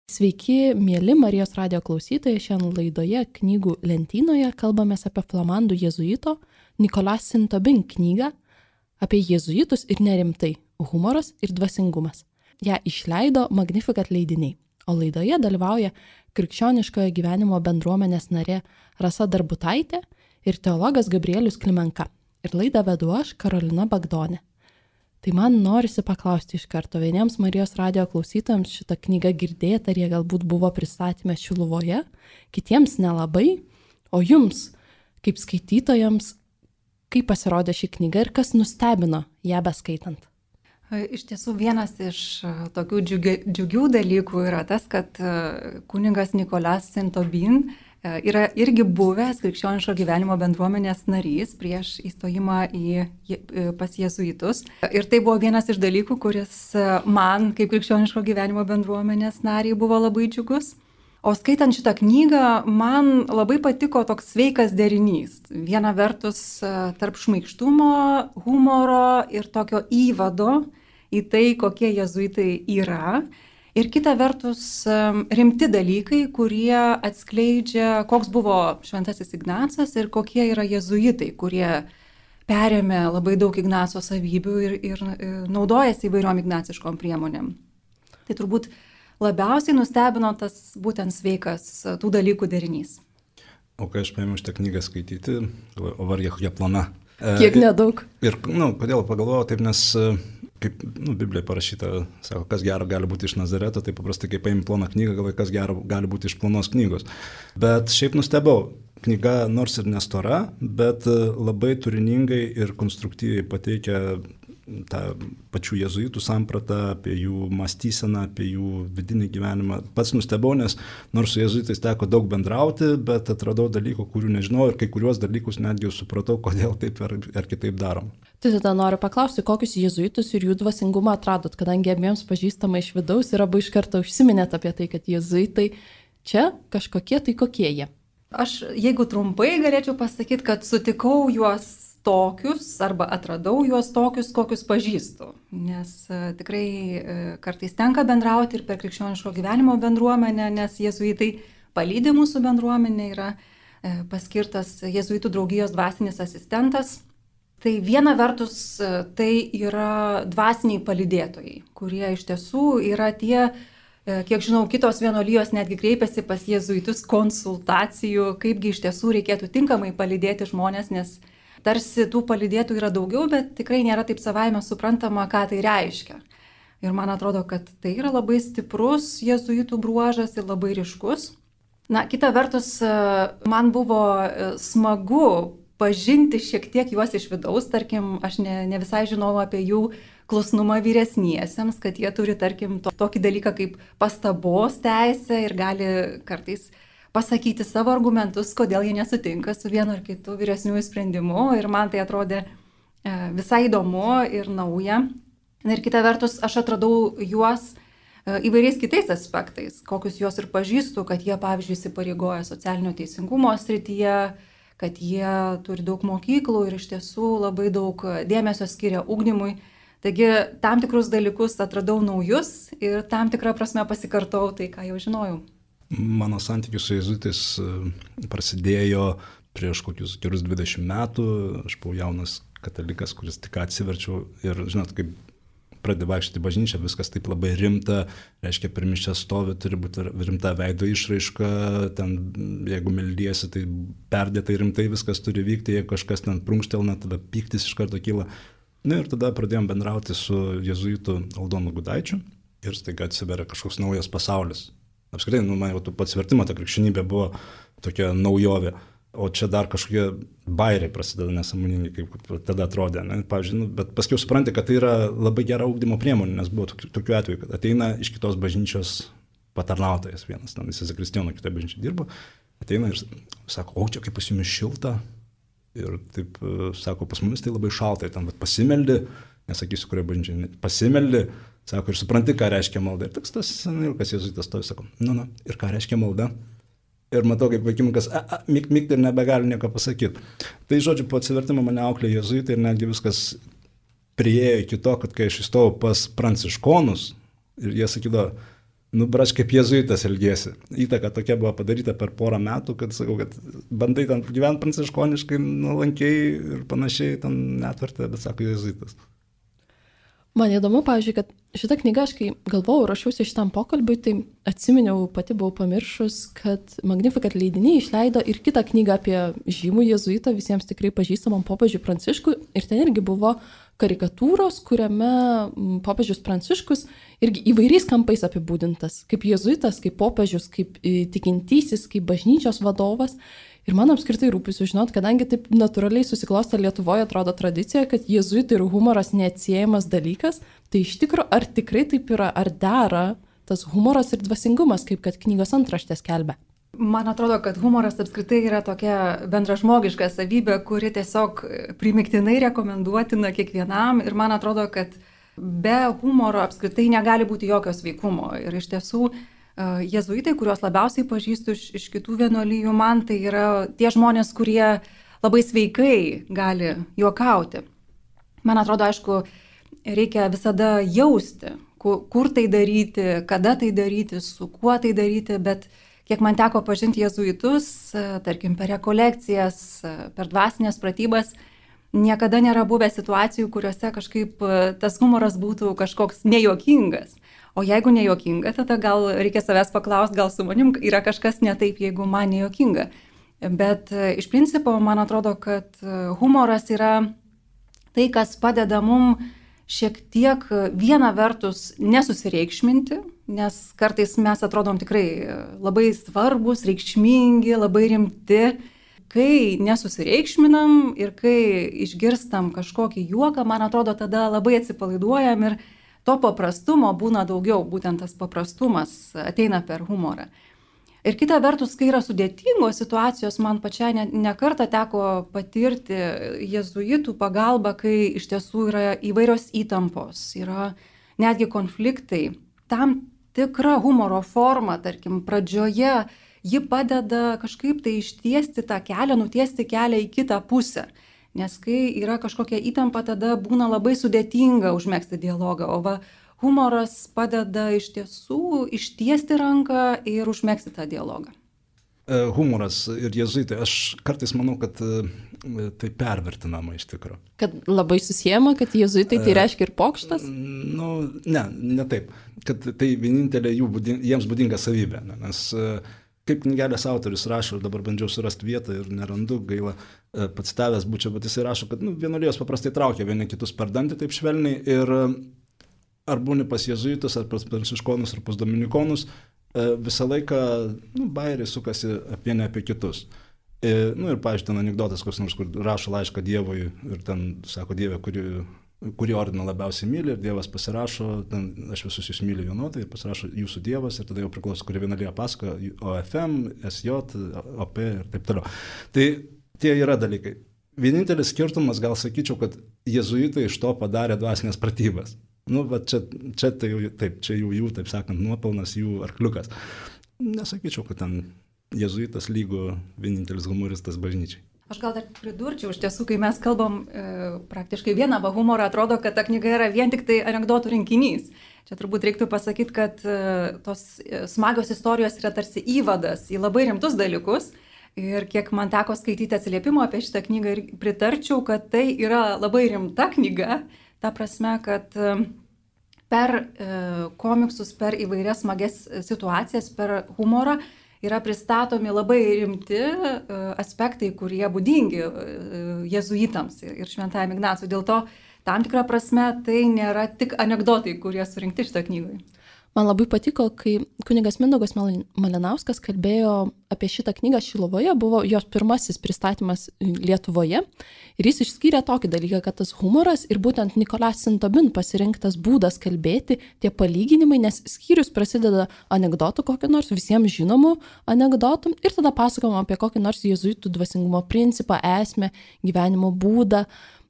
Sveiki, mėly Marijos radijo klausytojai, šiandien laidoje knygų lentynoje kalbamės apie flamandų jėzuito Nicolas Saint-Aubin knygą apie jėzuitus ir nerimtai – humoras ir dvasingumas. Ja išleido Magnificat leidiniai, o laidoje dalyvauja krikščioniškojo gyvenimo bendruomenės narė Rasa Darbutaitė ir teologas Gabrielius Klimenka. Ir laidą vedu aš, Karolina Bagdonė. Tai man norisi paklausti iš karto, vieniems Marijos radijo klausytojams šitą knygą girdėti, ar jie galbūt buvo pristatyme Šiluvoje, kitiems nelabai, o jums, kaip skaitytojams, kaip pasirodė ši knyga ir kas nustebino ją beskaitant? Iš tiesų, vienas iš tokių džiugių dalykų yra tas, kad kunigas Nicolas Saint-Aubin yra irgi buvęs krikščioniško gyvenimo bendruomenės narys prieš įstojimą pas jėzuitus. Ir tai buvo vienas iš dalykų, kuris man, kaip krikščioniško gyvenimo bendruomenės nariai, buvo labai džiugus. O skaitant šitą knygą, man labai patiko toks sveikas derinys. Viena vertus tarp šmaikštumo, humoro ir tokio įvado į tai, kokie jėzuitai yra. Ir kita vertus rimti dalykai, kurie atskleidžia, koks buvo šventasis Ignacas ir kokie yra jėzuitai, kurie perėmė labai daug Ignaco savybių ir naudojasi įvairiom ignaciškom priemonėm. Tai turbūt labiausiai nustebino tas būtent sveikas tų dalykų derinys. O kai aš paėmiau šitą knygą skaityti, o var jie plana. Kiek nedaug. Ir kodėl pagalvojau taip, nes kaip Biblijoje parašyta, sako, kas gero gali būti iš Nazareto, tai paprastai, kai paimi ploną knygą, galvoji, kas gero gali būti iš plonos knygos. Bet šiaip nustebau, knyga nors ir nestora, bet labai turiningai ir konstruktyviai pateikia tą pačių jėzuitų sampratą, apie jų mąstyseną, apie jų vidinį gyvenimą. Pats nustebau, nes nors su jėzuitais teko daug bendrauti, bet atradau dalykų, kurių nežinau ir kai kuriuos dalykus netgi supratau, kodėl taip ar kitaip darom. Tai tada noriu paklausti, kokius jėzuitus ir jų dvasingumą atradot, kadangi abiems pažįstama iš vidaus ir abu iš karto užsiminėt apie tai, kad jėzuitai čia kažkokie tai kokie jie. Aš, jeigu trumpai, galėčiau pasakyti, kad sutikau juos tokius arba atradau juos tokius, kokius pažįstu. Nes tikrai kartais tenka bendrauti ir per krikščioniško gyvenimo bendruomenę, nes jėzuitai palydi mūsų bendruomenę, yra paskirtas jėzuitų draugijos dvasinis asistentas. Tai viena vertus tai yra dvasiniai palydėtojai, kurie iš tiesų yra tie, kiek žinau, kitos vienuolijos netgi kreipiasi pas jėzuitus konsultacijų, kaipgi iš tiesų reikėtų tinkamai palydėti žmonės, nes tarsi tų palydėtų yra daugiau, bet tikrai nėra taip savaime suprantama, ką tai reiškia. Ir man atrodo, kad tai yra labai stiprus jėzuitų bruožas ir labai ryškus. Na, kita vertus, man buvo smagu pažinti šiek tiek juos iš vidaus, tarkim, aš ne visai žinau apie jų klusnumą vyresniesiems, kad jie turi, tarkim, tokį dalyką kaip pastabos teisę ir gali kartais pasakyti savo argumentus, kodėl jie nesutinka su vienu ar kitu vyresniųjų sprendimu ir man tai atrodė visai įdomu ir nauja. Ir kita vertus, aš atradau juos įvairiais kitais aspektais, kokius juos ir pažįstu, kad jie, pavyzdžiui, įsipareigoja socialinio teisingumo srityje, kad jie turi daug mokyklų ir iš tiesų labai daug dėmesio skiria ugdymui. Taigi tam tikrus dalykus atradau naujus ir tam tikrą prasme pasikartau tai, ką jau žinojau. Mano santykius su jėzuitais prasidėjo prieš kokius 20 metų. Aš buvau jaunas katalikas, kuris tik atsiverčiau ir, žinot, kaip pradedi vaikščioti bažnyčią, viskas taip labai rimta, reiškia, per mišias stovi, turi būti rimta veido išraiška, ten, jeigu meldiesi, tai perdėtai rimtai viskas turi vykti, jeigu kažkas ten prunkštelna, tada pyktis iš karto kyla. Na ir tada pradėjom bendrauti su jėzuitu Aldonu Gudaičiu ir staiga atsiveria kažkoks naujas pasaulis. Apskritai, man jau pats vertimo ta krikščionybė buvo tokia naujovė. O čia dar kažkokie bairiai prasideda nesąmoningai, kaip tada atrodė. Ne? Pavyzdžiui, bet paskui supranti, kad tai yra labai gera ugdymo priemonė, nes buvo tokių atvejų, kad ateina iš kitos bažnyčios patarnautojas vienas, jis zakristijono kitoje bažnyčioje dirbo, ateina ir sako, o čia kaip pas jumis šilta, ir taip sako, pas mumis tai labai šalta, ir ten pasimeldi, nesakysiu, kurioje bažnyčioje, pasimeldi, sako, ir supranti, ką reiškia malda. Ir toks tas senilkas jėzuitas stovi, sako, ir ką reiškia malda. Ir matau, kaip vaikinukas, mygti ir nebegali nieko pasakyti. Tai, žodžiu, po atsivertimo mane auklė jėzuitai ir netgi viskas priėjo iki to, kad kai aš įstojau pas pranciškonus ir jie sakydavo, braš kaip jėzuitas elgėsi. Įtaka tokia buvo padaryta per porą metų, kad sakau, kad bandai ten gyventi pranciškoniškai, nuolankiai ir panašiai, ten netvertė, bet sako jėzuitas. Man įdomu, pavyzdžiui, kad šitą knygą, aš kai galvojau, rašiausi šitam pokalbiui, tai atsiminiau, pati buvau pamiršus, kad Magnificat leidiniai išleido ir kitą knygą apie žymų jėzuitą, visiems tikrai pažįstamam popiežiui Pranciškui, ir ten irgi buvo karikatūros, kuriame popiežius Pranciškus irgi įvairiais kampais apibūdintas, kaip jėzuitas, kaip popiežius, kaip tikintysis, kaip bažnyčios vadovas. Ir man apskritai rūpi sužinoti, kadangi taip natūraliai susiklostė Lietuvoje, atrodo tradicija, kad jėzuitai ir humoras neatsiejamas dalykas, tai iš tikrųjų, ar tikrai taip yra, ar dera tas humoras ir dvasingumas, kaip kad knygos antraštės skelbia? Man atrodo, kad humoras apskritai yra tokia bendražmogiška savybė, kuri tiesiog primiktinai rekomenduotina kiekvienam, ir man atrodo, kad be humoro apskritai negali būti jokio sveikumo. Ir iš tiesų, jėzuitai, kuriuos labiausiai pažįstu iš kitų vienuolijų, man tai yra tie žmonės, kurie labai sveikai gali juokauti. Man atrodo, aišku, reikia visada jausti, kur tai daryti, kada tai daryti, su kuo tai daryti, bet kiek man teko pažinti jėzuitus, tarkim, per rekolekcijas, per dvasinės pratybas, niekada nėra buvę situacijų, kuriuose kažkaip tas humoras būtų kažkoks nejuokingas. O jeigu nejuokinga, tada gal reikia savęs paklausti, gal su manim yra kažkas ne taip, jeigu man nejuokinga. Bet iš principo, man atrodo, kad humoras yra tai, kas padeda mum šiek tiek viena vertus nesusireikšminti, nes kartais mes atrodom tikrai labai svarbus, reikšmingi, labai rimti. Kai nesusireikšminam ir kai išgirstam kažkokį juoką, man atrodo, tada labai atsipalaiduojam ir to paprastumo būna daugiau, būtent tas paprastumas ateina per humorą. Ir kita vertus, kai yra sudėtingos situacijos, man pačiai ne kartą teko patirti jėzuitų pagalbą, kai iš tiesų yra įvairios įtampos, yra netgi konfliktai. Tam tikra humoro forma, tarkim, pradžioje, ji padeda kažkaip tai ištiesti tą kelią, nutiesti kelią į kitą pusę. Nes kai yra kažkokia įtampa, tada būna labai sudėtinga užmegzti dialogą, o humoras padeda iš tiesų ištiesti ranką ir užmegzti tą dialogą. Humoras ir jėzuitai, aš kartais manau, kad tai pervertinama iš tikrųjų. Kad labai susijama, kad jėzuitai tai reiškia ir pokštas? Ne taip. Kad tai vienintelė jiems būdinga savybė, nes kaip knygelės autorius rašo, ir dabar bandžiau surasti vietą ir nerandu, gaila, pacitavęs būčiau, bet jisai rašo, kad vienuolijos paprastai traukia vieni kitus per dantį taip švelniai, ir ar būni pas jėzuitus, ar pas pranciškonus, ar pas dominikonus, visą laiką bajeriai sukasi vieni apie kitus. Ir, pavyzdžiui, ten anekdotas, koks nors, kur rašo laišką Dievui ir ten sako, Dieve, kurį ordiną labiausiai myli, ir Dievas pasirašo, ten, aš visus jūs myliu vienodai, ir pasirašo jūsų Dievas, ir tada jau priklauso, kuri vienuolija pasako, OFM, SJ, OP ir taip toliau. Tai tie yra dalykai. Vienintelis skirtumas, gal sakyčiau, kad jėzuitai iš to padarė dvasinės pratybas. Čia tai jau taip, čia jų, taip sakant, nuopelnas, jų arkliukas. Nesakyčiau, kad ten jėzuitas lygu vienintelis humoristas bažnyčiai. Aš gal dar pridurčiau, iš tiesų, kai mes kalbam praktiškai vieną humorą, atrodo, kad ta knyga yra vien tik tai anekdotų rinkinys. Čia turbūt reiktų pasakyti, kad tos smagios istorijos yra tarsi įvadas į labai rimtus dalykus. Ir kiek man teko skaityti atsiliepimo apie šitą knygą, ir pritarčiau, kad tai yra labai rimta knyga. Ta prasme, kad per komiksus, per įvairias smagias situacijas, per humorą yra pristatomi labai rimti aspektai, kurie būdingi jėzuitams ir šventajam Ignacui. Dėl to, tam tikrą prasme, tai nėra tik anekdotai, kurie surinkti šitą knygą. Man labai patiko, kai kunigas Mindaugas Malinauskas kalbėjo apie šitą knygą Šiluvoje, buvo jos pirmasis pristatymas Lietuvoje, ir jis išskyrė tokį dalyką, kad tas humoras ir būtent Nicolas Saint-Aubin pasirinktas būdas kalbėti, tie palyginimai, nes skyrius prasideda anekdotų kokį nors, visiems žinomų anekdotų, ir tada pasakojama apie kokį nors jėzuitų dvasingumo principą, esmę, gyvenimo būdą,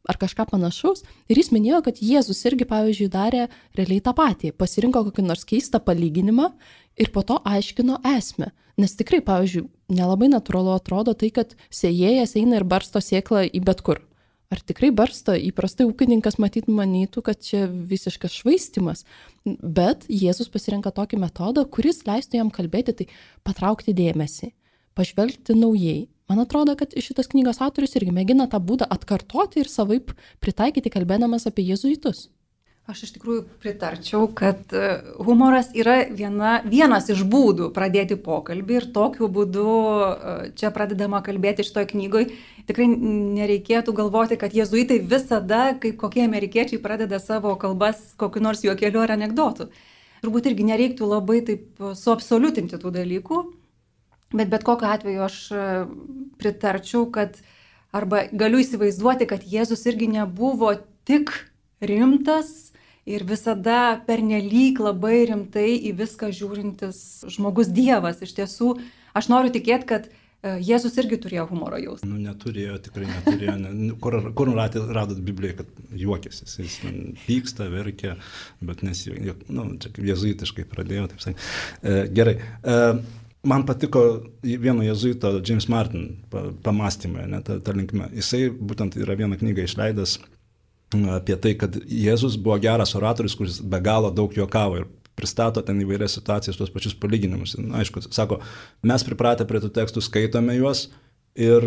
ar kažką panašaus. Ir jis minėjo, kad Jėzus irgi, pavyzdžiui, darė realiai tą patį. Pasirinko kokį nors keistą palyginimą ir po to aiškino esmę. Nes tikrai, pavyzdžiui, nelabai natūralu atrodo tai, kad sėjėjas eina ir barsto sėklą į bet kur. Ar tikrai barsto? Įprastai ūkininkas manytų, kad čia visiškas švaistimas. Bet Jėzus pasirenka tokį metodą, kuris leistų jam kalbėti, tai patraukti dėmesį, pažvelgti naujai. Man atrodo, kad šitas knygos autorius irgi mėgina tą būdą atkartoti ir savaip pritaikyti, kalbėdamas apie jėzuitus. Aš iš tikrųjų pritarčiau, kad humoras yra vienas iš būdų pradėti pokalbį ir tokiu būdu čia pradedama kalbėti šitoj knygoj. Tikrai nereikėtų galvoti, kad jėzuitai visada, kaip kokie amerikiečiai, pradeda savo kalbas kokiu nors juokeliu ar anekdotu. Turbūt irgi nereiktų labai taip suabsoliutinti tų dalykų, bet kokiu atveju aš pritarčiau, kad arba galiu įsivaizduoti, kad Jėzus irgi nebuvo tik rimtas ir visada pernelyg labai rimtai į viską žiūrintis žmogus Dievas. Iš tiesų, aš noriu tikėti, kad Jėzus irgi turėjo humoro jausmą. Neturėjo, tikrai neturėjo. Kur radot Bibliją, kad juokėsi? Jis pyksta, verkia, bet čia kaip jėzuitiškai pradėjo, taip sakant. Gerai. Man patiko vieno jėzuito, James Martin, pamastymai, ta linkme. Jisai būtent yra vieną knygą išleidęs apie tai, kad Jėzus buvo geras oratorius, kuris be galo daug juokavo ir pristato ten įvairias situacijas, tuos pačius palyginimus. Aišku, sako, mes pripratę prie tų tekstų, skaitome juos ir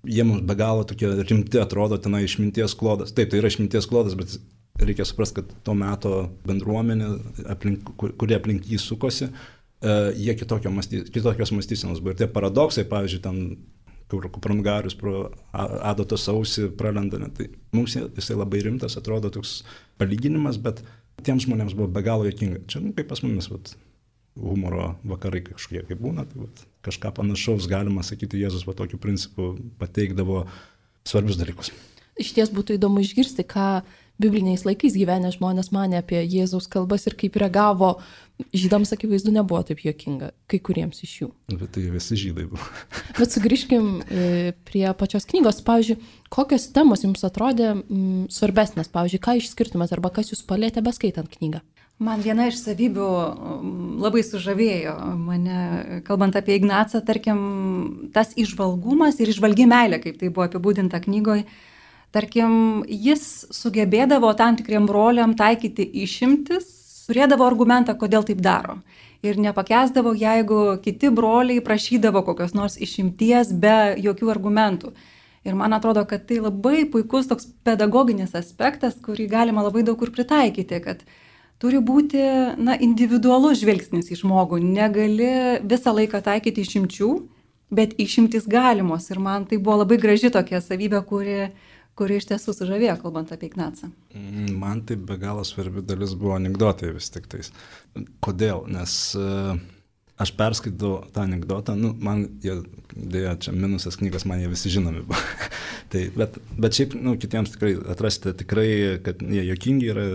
jie mums be galo tokie rimti atrodo, ten išminties klodas. Taip, tai yra išminties klodas, bet reikia suprasti, kad to meto bendruomenė, kurie aplink jį sukosi, jie kitokios mąstysenos buvo. Ir tie paradoksai, pavyzdžiui, ten kur Kupranugarius pro adatos ausį pralenda. Tai mums jisai labai rimtas, atrodo toks palyginimas, bet tiems žmonėms buvo be galo juokinga. Čia kaip pas mumis humoro vakarai kažkokie kaip būna, tai kažką panašaus galima sakyti, Jėzus tokiu principu pateikdavo svarbius dalykus. Iš ties būtų įdomu išgirsti, ką bibliniais laikais gyvenę žmonės manė apie Jėzaus kalbas ir kaip reagavo. Žydams akivaizdu nebuvo taip juokinga, kai kuriems iš jų. Bet tai visi žydai buvo. Bet sugrįžkim prie pačios knygos. Pavyzdžiui, kokios temos jums atrodė svarbesnės? Pavyzdžiui, ką išskirtumėt arba kas jūs palietė beskaitant knygą? Man viena iš savybių labai sužavėjo mane, kalbant apie Ignacą, tarkim, tas įžvalgumas ir įžvalgi meilė, kaip tai buvo apibūdinta knygoje. Tarkim, jis sugebėdavo tam tikriem broliam taikyti išimtis, turėdavo argumentą, kodėl taip daro. Ir nepakęsdavo, jeigu kiti broliai prašydavo kokios nors išimties be jokių argumentų. Ir man atrodo, kad tai labai puikus toks pedagoginis aspektas, kurį galima labai daug kur pritaikyti, kad turi būti individualus žvilgsnis į žmogų. Negali visą laiką taikyti išimčių, bet išimtis galimos. Ir man tai buvo labai graži tokia savybė, kuri iš tiesų sužavėjo, kalbant apie Ignacą. Man tai be galo svarbi dalis buvo anekdotai vis tik tais. Kodėl? Nes aš perskaitau tą anekdotą, man dėja, čia minusas knygos, man jie visi žinomi buvo. bet šiaip, kitiems tikrai atrasite tikrai, kad jie juokingi yra,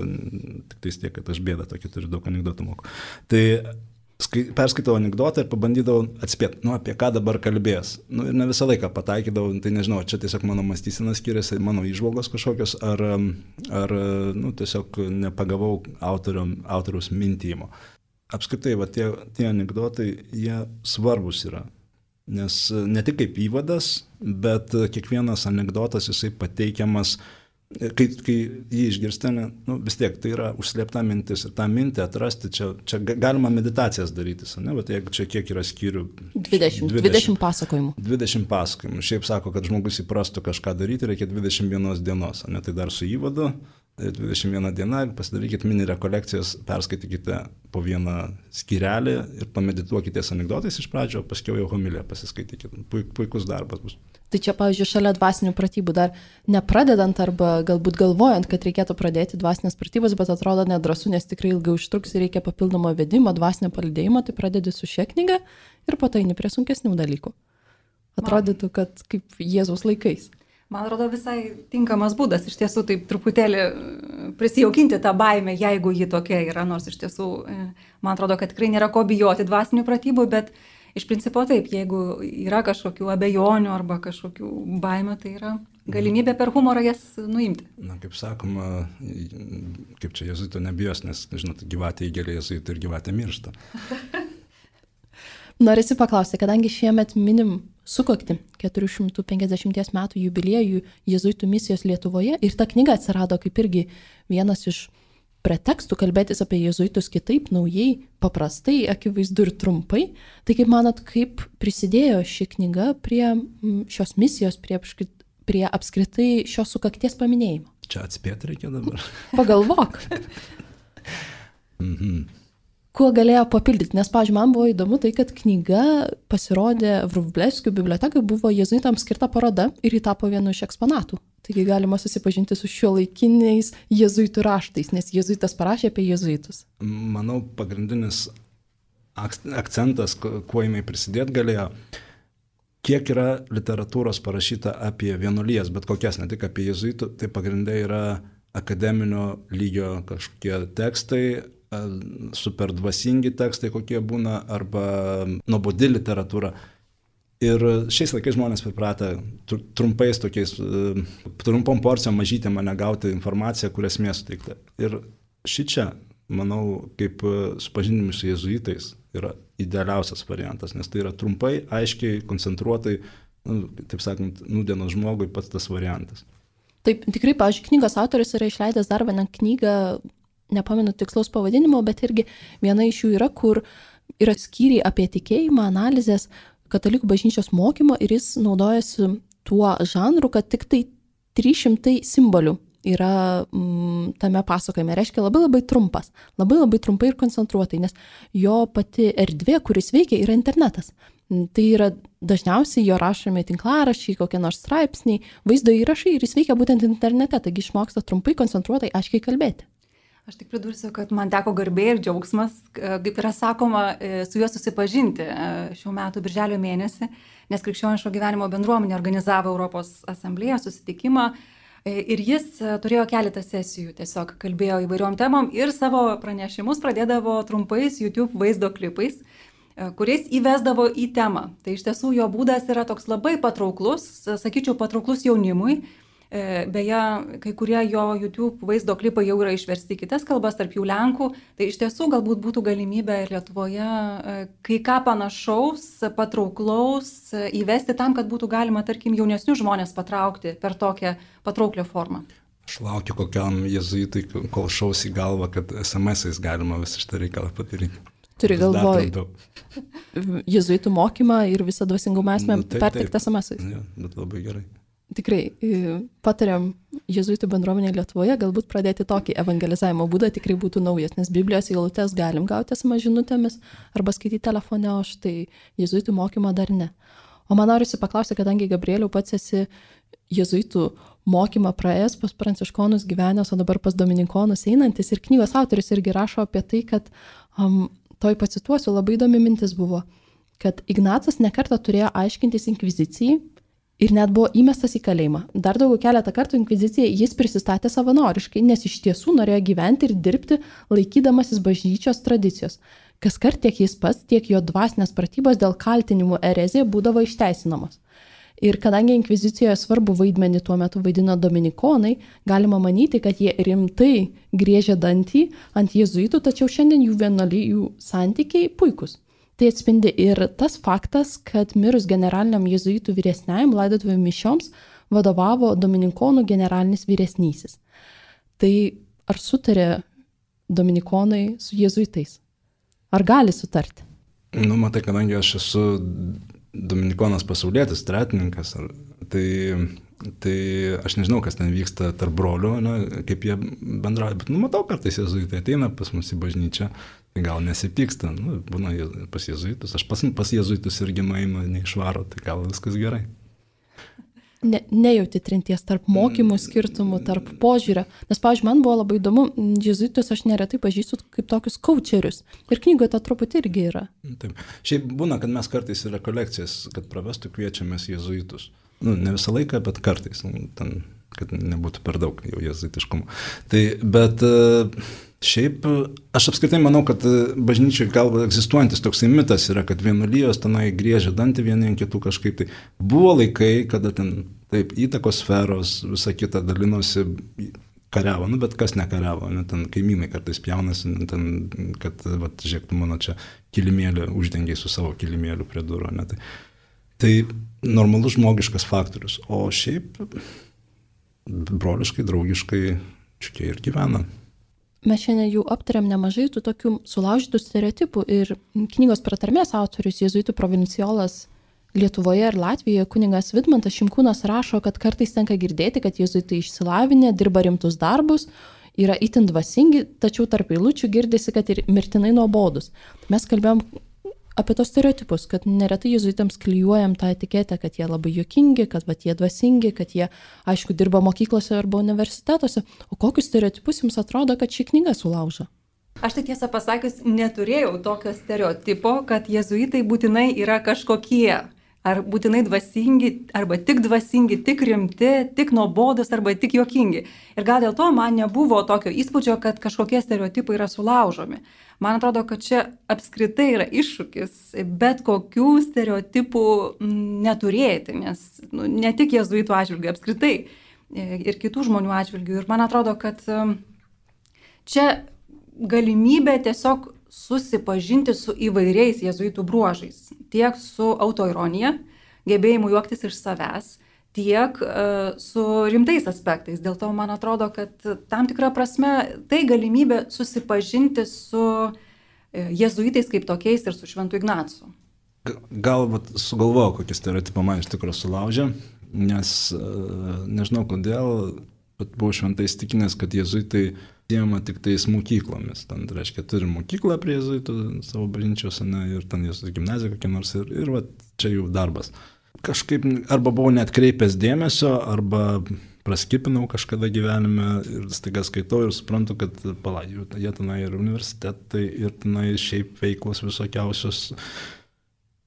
tik tais tiek, kad aš bėdą tokį turiu, daug anekdotų moku. Tai perskaitau anekdotą ir pabandydavau atspėti, apie ką dabar kalbės. Ir ne visą laiką pataikydavau, tai nežinau, čia tiesiog mano mąstysena skiriasi, mano įžvalgos kažkokios, ar tiesiog nepagavau autoriaus mintymo. Apskritai, tie anekdotai, jie svarbus yra. Nes ne tik kaip įvadas, bet kiekvienas anekdotas jisai pateikiamas. Kai jį išgirsti, vis tiek tai yra užslėpta mintis ir tą mintį atrasti, čia galima meditacijas darytis, bet jeigu čia kiek yra skyrių? 20 pasakojimų. 20 pasakojimų. Šiaip sako, kad žmogus įprastų kažką daryti, reikia 21 dienos, tai dar su įvadu, 21 diena, pasidarykit mini rekolekcijas, perskaitykite po vieną skyrelį ir pamedituokitės anekdotais iš pradžio, paskiau jau homiliją pasiskaitykite. Puikus darbas bus. Tai čia, pavyzdžiui, šalia dvasinių pratybų dar nepradedant arba galbūt galvojant, kad reikėtų pradėti dvasinės pratybas, bet atrodo nedrąsu, nes tikrai ilgai užtruks ir reikia papildomo vedimo, dvasinio palydėjimo, tai pradedi su šia knyga ir po to eini prie sunkesnių dalykų. Atrodytų, kad kaip Jėzaus laikais. Man atrodo visai tinkamas būdas iš tiesų taip truputėlį prisijaukinti tą baimę, jeigu ji tokia yra, nors iš tiesų man atrodo, kad tikrai nėra ko bijoti dvasinių pratybų, bet iš principo taip, jeigu yra kažkokių abejonių arba kažkokių baimių, tai yra galimybė per humorą jas nuimti. Kaip sakoma, kaip čia jėzuito nebijos, nes, žinot, gyvatė įgelia jėzuito ir gyvatė miršta. Norisi paklausti, kadangi šiemet minim sukakti 450 metų jubiliejų jėzuitų misijos Lietuvoje ir ta knyga atsirado kaip irgi vienas iš pretekstų kalbėtis apie jėzuitus kitaip, naujai, paprastai, akivaizdu ir trumpai. Tai kaip manot, kaip prisidėjo ši knyga prie šios misijos, prie apskritai šios sukakties paminėjimo? Čia atspėti reikia dabar. Pagalvok. Kuo galėjo papildyti? Nes, pavyzdžiui, man buvo įdomu tai, kad knyga pasirodė Vrublevskių bibliotekai, buvo jėzuitams skirta paroda ir ji tapo vienu iš eksponatų. Taigi galima susipažinti su šiuolaikiniais jėzuitų raštais, nes jėzuitas parašė apie jėzuitus. Manau, pagrindinis akcentas, kuo jinai prisidėti galėjo, kiek yra literatūros parašyta apie vienuolijas, bet kokias, ne tik apie jėzuitų, tai pagrindai yra akademinio lygio kažkokie tekstai, super dvasingi tekstai kokie būna, arba nuobodi literatūra. Ir šiais laikais žmonės pripratę trumpais tokiais, trumpom porcijom mažytėm mane gauti informaciją, kur esmė suteikta. Ir šičia, manau, kaip supažindinimu su jėzuitais yra idealiausias variantas, nes tai yra trumpai, aiškiai, koncentruotai, taip sakant, nūdienos žmogui pats tas variantas. Taip, tikrai, pavyzdžiui, knygos autoris yra išleidęs dar vieną knygą, nepamenu tikslaus pavadinimo, bet irgi viena iš jų yra, kur yra skyriai apie tikėjimą, analizės, katalikų bažnyčios mokymo ir jis naudojasi tuo žanru, kad tik tai 300 simbolių yra tame pasakojime. Reiškia labai trumpas, labai trumpai ir koncentruotai, nes jo pati erdvė, kuris veikia, yra internetas. Tai yra dažniausiai jo rašomi tinklaraščiai, kokie nors straipsniai, vaizdo įrašai ir jis veikia būtent internete, taigi išmoksta trumpai, koncentruotai, aiškiai kalbėti. Aš tik pridursiu, kad man teko garbė ir džiaugsmas, kaip yra sakoma, su juo susipažinti šių metų birželio mėnesį, nes Krikščioniško gyvenimo bendruomenė organizavo Europos asamblėją susitikimą ir jis turėjo keletą sesijų, tiesiog kalbėjo įvairiom temom ir savo pranešimus pradėdavo trumpais YouTube vaizdo klipais, kuriais įvesdavo į temą. Tai iš tiesų jo būdas yra toks labai patrauklus, sakyčiau, patrauklus jaunimui. Beje, kai kurie jo YouTube vaizdo klipai jau yra išversti į kitas kalbas, tarp jų lenkų, tai iš tiesų galbūt būtų galimybė ir Lietuvoje kai ką panašaus, patrauklaus įvesti tam, kad būtų galima, tarkim, jaunesnius žmonės patraukti per tokią patrauklią formą. Aš laukiu kokiam jėzuitui, kol šaus į galvą, kad SMS-ais galima visą šitą reikalą padaryti. Turi galvoj jėzuitų mokymą ir visą dvasingumą esmę perteikti SMS-ais. Ja, bet labai gerai. Tikrai patariam jėzuitų bendruomenė Lietuvoje galbūt pradėti tokį evangelizavimo būdą, tikrai būtų naujas, nes Biblijos eilutes galim gauti SMS žinutėmis arba skaityti telefone, o štai jėzuitų mokymo dar ne. O man norisi paklausti, kadangi Gabrieliau pats esi jėzuitų mokymą praėjęs, pas pranciškonus gyvenęs, o dabar pas dominikonus einantis ir knygos autoris irgi rašo apie tai, kad toj pacituosiu, labai įdomi mintis buvo, kad Ignacas nekartą turėjo aiškintis inkvizicijai, ir net buvo įmestas į kalėjimą. Dar daugiau keletą kartų inkvizicijai jis prisistatė savanoriškai, nes iš tiesų norėjo gyventi ir dirbti laikydamasis bažnyčios tradicijos. Kaskart tiek jis pats, tiek jo dvasinės pratybos dėl kaltinimų erezija būdavo išteisinamos. Ir kadangi inkvizicijoje svarbu vaidmenį tuo metu vaidino dominikonai, galima manyti, kad jie rimtai griežė dantį ant jėzuitų, tačiau šiandien jų vienuolijų santykiai puikus. Tai atspindi ir tas faktas, kad mirus generaliniam jėzuitų vyresniajam laidotuvių mišioms vadovavo dominikonų generalinis vyresnysis. Tai ar sutarė dominikonai su jėzuitais? Ar gali sutarti? Matai, kadangi aš esu dominikonas pasaulietis, tretininkas, tai aš nežinau, kas ten vyksta tarp brolių, kaip jie bendrauja, bet matau, kartais jėzuitai ateina pas mus į bažnyčią, tai gal nesipyksta, būna pas jėzuitus, aš pas jėzuitus irgi nueinu, neišvaro, tai gal viskas gerai. Nejauti trinties tarp mokymų skirtumų, tarp požiūrio, nes, pavyzdžiui, man buvo labai įdomu, jėzuitus aš neretai pažįstu kaip tokius kaučerius ir knygoje to truputį irgi yra. Taip, šiaip būna, kad mes kartais į rekolekcijas, kad pravestų kviečiamės jėzuitus. Ne visą laiką, bet kartais, ten, kad nebūtų per daug jau jėzuitiškumo. Tai, bet šiaip aš apskritai manau, kad bažnyčiai gal egzistuojantis toksai mitas yra, kad vienuolijos tenai griežia dantį vieni ant kitų kažkaip. Tai buvo laikai, kada ten taip įtakos sferos, visa kita dalinosi, kariavo, bet kas nekariavo, ten kaimynai kartais pjaunasi, ten, kad, žiūrėk, tu mano čia kilimėlį uždengiai su savo kilimėliu prie durų. Tai Tai normalus žmogiškas faktorius, o šiaip broliškai, draugiškai čia ir gyvena. Mes šiandien jau aptarėm nemažai tų tokių sulaužytų stereotipų ir knygos pratarmės autorius, jėzuitų provinciolas Lietuvoje ir Latvijoje, kunigas Vidmantas Šimkūnas rašo, kad kartais tenka girdėti, kad jėzuitai išsilavinę, dirba rimtus darbus, yra itin dvasingi, tačiau tarp eilučių girdisi, kad ir mirtinai nuobodus. Mes kalbėjom apie tos stereotipus, kad neretai jėzuitams klijuojam tą etiketę, kad jie labai juokingi, kad jie dvasingi, kad jie, aišku, dirba mokyklose arba universitetuose. O kokius stereotipus jums atrodo, kad ši knyga sulaužo? Aš tai tiesą pasakius neturėjau tokio stereotipo, kad jėzuitai būtinai yra kažkokie. Ar būtinai dvasingi, arba tik dvasingi, tik rimti, tik nuobodus, arba tik juokingi. Ir gal dėl to man nebuvo tokio įspūdžio, kad kažkokie stereotipai yra sulaužomi. Man atrodo, kad čia apskritai yra iššūkis bet kokių stereotipų neturėti, nes ne tik jėzuitų atžvilgių, apskritai ir kitų žmonių atžvilgių. Ir man atrodo, kad čia galimybė tiesiog susipažinti su įvairiais jėzuitų bruožais. Tiek su autoironija, gebėjimu juoktis iš savęs, tiek su rimtais aspektais. Dėl to man atrodo, kad tam tikrą prasme tai galimybė susipažinti su jėzuitais kaip tokiais ir su Šventu Ignacu. Gal sugalvojau, kokį stereotipą man iš tikrųjų sulaužė, nes nežinau kodėl, bet buvau šventai įsitikinęs, kad jėzuitai siejama tik tais mokyklomis. Ten, reiškia, turi mokyklą prie jėzuitų savo bažnyčios, ir ten jėzuitų gimnazija kokia nors, ir va, čia jų darbas. Kažkaip arba buvau neatkreipęs dėmesio, arba praskipinau kažkada gyvenime ir staiga skaitau ir suprantu, kad jie tenai ir universitetai, ir tenai šiaip veiklos visokiausios.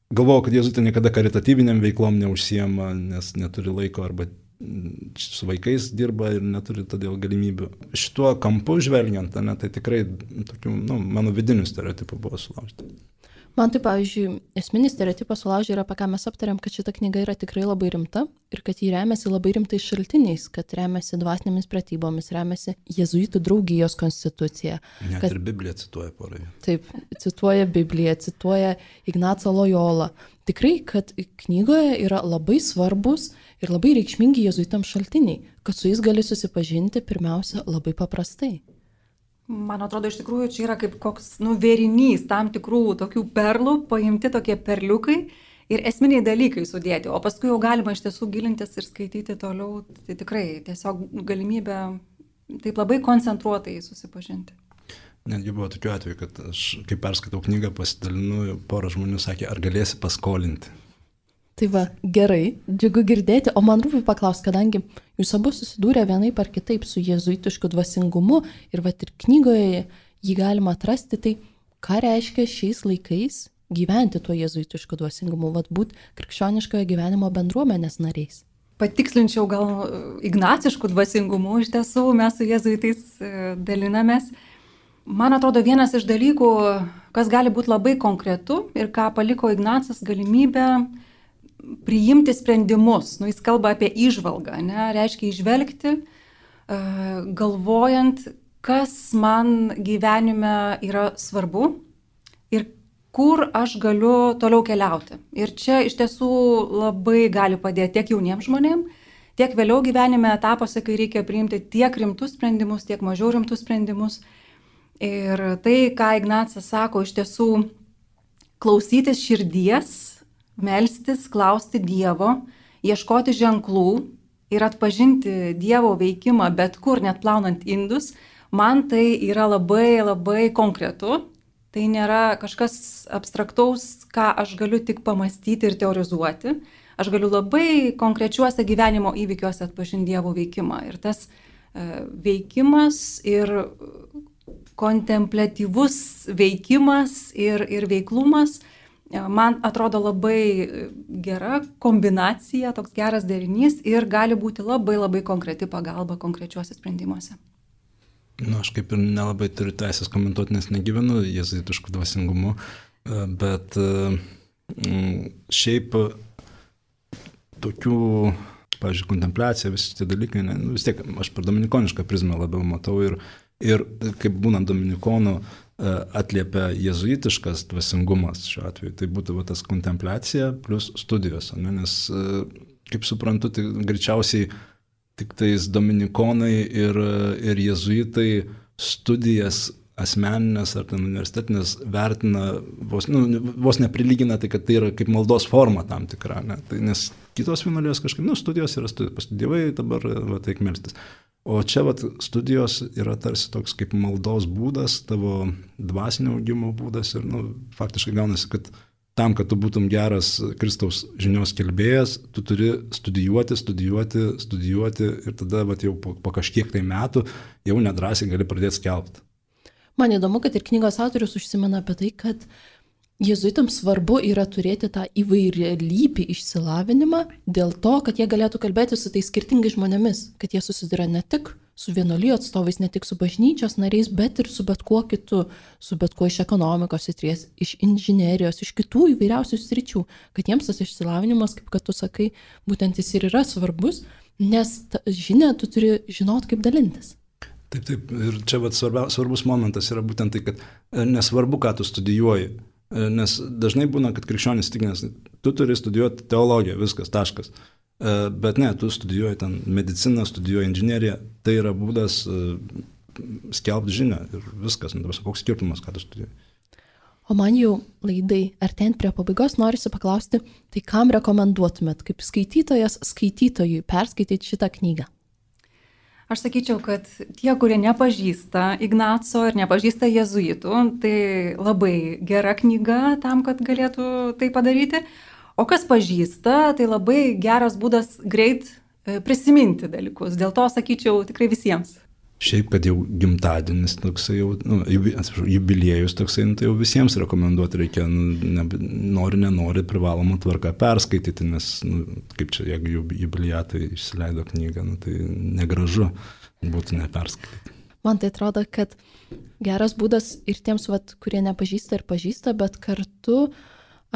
Galvojau, kad jėzuitai niekada karitatyviniam veiklom neužsiema, nes neturi laiko arba su vaikais dirba ir neturi todėl galimybių. Šituo kampu žvelgiant, tai tikrai tokių, mano vidinių stereotipų buvo sulaužyti. Man tai, pavyzdžiui, esminis stereotipas sulaužė yra, apie ką mes aptarėm, kad šita knyga yra tikrai labai rimta ir kad jį remiasi labai rimtais šaltiniais, kad remiasi dvasinėmis pratybomis, remiasi jėzuitų draugijos konstitucija. Net ir Bibliją cituoja porai. Taip, cituoja Bibliją, cituoja Ignacą Lojolą. Tikrai, kad knygoje yra labai svarbus ir labai reikšmingi jėzuitams šaltiniai, kad su jais gali susipažinti pirmiausia labai paprastai. Man atrodo, iš tikrųjų, čia yra kaip koks vėrinys tam tikrų tokių perlų, paimti tokie perliukai ir esminiai dalykai sudėti, o paskui jau galima iš tiesų gilintis ir skaityti toliau, tai tikrai tiesiog galimybė taip labai koncentruotai susipažinti. Netgi buvo tokiu atveju, kad aš, kai perskaitau knygą, pasidalinu, porą žmonių sakė, ar galėsi paskolinti. Tai va, gerai, džiugu girdėti, o man rūpi paklausti, kadangi jūs abu susidūrė vienaip ar kitaip su jėzuitišku dvasingumu ir va ir knygoje jį galima atrasti, tai ką reiškia šiais laikais gyventi tuo jėzuitišku dvasingumu, va būt krikščioniškojo gyvenimo bendruomenės nariais? Patikslinčiau gal ignacišku dvasingumu, iš tiesų mes su jėzuitais dalinamės. Man atrodo, vienas iš dalykų, kas gali būti labai konkretu ir ką paliko Ignacas, galimybę priimti sprendimus. Jis kalba apie įžvalgą, reiškia įžvelgti, galvojant, kas man gyvenime yra svarbu ir kur aš galiu toliau keliauti. Ir čia iš tiesų labai gali padėti tiek jauniems žmonėms, tiek vėliau gyvenime etapuose, kai reikia priimti tiek rimtus sprendimus, tiek mažiau rimtus sprendimus. Ir tai, ką Ignacas sako, iš tiesų klausytis širdies, melstis, klausti Dievo, ieškoti ženklų ir atpažinti Dievo veikimą bet kur, net plaunant indus, man tai yra labai, labai konkretu. Tai nėra kažkas abstraktaus, ką aš galiu tik pamastyti ir teorizuoti. Aš galiu labai konkrečiuose gyvenimo įvykiuose atpažinti Dievo veikimą. Ir tas veikimas ir kontempliatyvus veikimas ir veiklumas man atrodo labai gera kombinacija, toks geras derinys ir gali būti labai labai konkreti pagalba konkrečiuose sprendimuose. Aš kaip ir nelabai turiu teisės komentuoti, nes negyvenu jėzuitišku dvasingumu, bet šiaip tokių, pavyzdžiui, kontempliacija, visi tie dalykai, vis tiek aš per dominikonišką prizmę labiau matau ir kaip būnant dominikonu, atliepia jėzuitiškas dvasingumas šiuo atveju. Tai būtų tas kontempliacija plus studijos, ne? Nes, kaip suprantu, tai greičiausiai tik tais dominikonai ir jėzuitai studijas asmeninės ar ten universitetinės vertina, vos neprilygina tai, kad tai yra kaip maldos forma tam tikra, ne? Tai, nes kitos vienuolijos kažkaip, studijos yra studijos, pastudijavai, dabar teik melstis. O čia studijos yra tarsi toks kaip maldos būdas, tavo dvasinio augimo būdas ir faktiškai gaunasi, kad tam, kad tu būtum geras Kristaus žinios kelbėjas, tu turi studijuoti ir tada jau po kažkiek tai metų jau nedrąsiai gali pradėti skelbti. Man įdomu, kad ir knygos autorius užsimena apie tai, kad jėzuitams svarbu yra turėti tą įvairialypį išsilavinimą dėl to, kad jie galėtų kalbėti su tais skirtingais žmonėmis, kad jie susiduria ne tik su vienuolijų atstovais, ne tik su bažnyčios nariais, bet ir su bet kuo kitu, su bet kuo iš ekonomikos srities, iš inžinerijos, iš kitų įvairiausių sričių, kad jiems tas išsilavinimas, kaip kad tu sakai, būtent jis ir yra svarbus, nes žinia tu turi žinot, kaip dalintis. Taip, ir čia svarbus momentas yra būtent tai, kad nesvarbu, ką tu studijuoji. Nes dažnai būna, kad krikščionis tikinęs, tu turi studijuoti teologiją, viskas, taškas. Bet ne, tu studijuoji ten mediciną, studijuoji inžineriją, tai yra būdas skelbti žinią ir viskas, koks skirtumas, ką tu studijuoji. O man jau laidai artėjant prie pabaigos norisi paklausti, tai kam rekomenduotumėt kaip skaitytojas skaitytojui perskaityti šitą knygą? Aš sakyčiau, kad tie, kurie nepažįsta Ignaco ir nepažįsta jėzuitų, tai labai gera knyga tam, kad galėtų tai padaryti. O kas pažįsta, tai labai geras būdas greit prisiminti dalykus. Dėl to sakyčiau tikrai visiems. Šiaip, kad jau gimtadienis toksai, jubiliejus toksai, tai jau visiems rekomenduoti reikia, nenori privalomą tvarką perskaityti, nes, kaip čia, jeigu jubiliatai išsileido knygą, tai negražu būtų neperskaityti. Man tai atrodo, kad geras būdas ir tiems, kurie nepažįsta ir pažįsta, bet kartu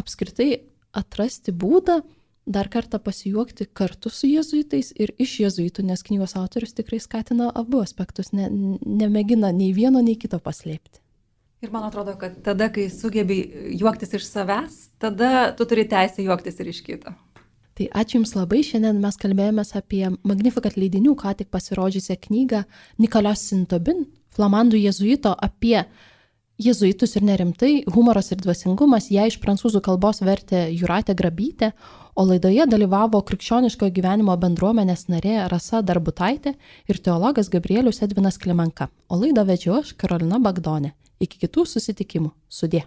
apskritai atrasti būdą, dar kartą pasijuokti kartu su jėzuitais ir iš jėzuitų, nes knygos autorius tikrai skatina abu aspektus, nemėgina nei vieno, nei kito paslėpti. Ir man atrodo, kad tada, kai sugebi juoktis iš savęs, tada tu turi teisę juoktis ir iš kito. Tai ačiū Jums labai, šiandien mes kalbėjomės apie Magnificat leidinių, ką tik pasirodžiusią knygą Nicolas Saint-Aubin, flamandų jėzuito apie jėzuitus ir nerimtai, humoras ir dvasingumas, ją iš prancūzų kalbos vertė Jūratė Grabytė, o laidoje dalyvavo krikščioniško gyvenimo bendruomenės narė Rasa Darbutaitė ir teologas Gabrielius Edvinas Klimenka, o laidą vedžiau aš Karolina Bagdonė. Iki kitų susitikimų. Sudie.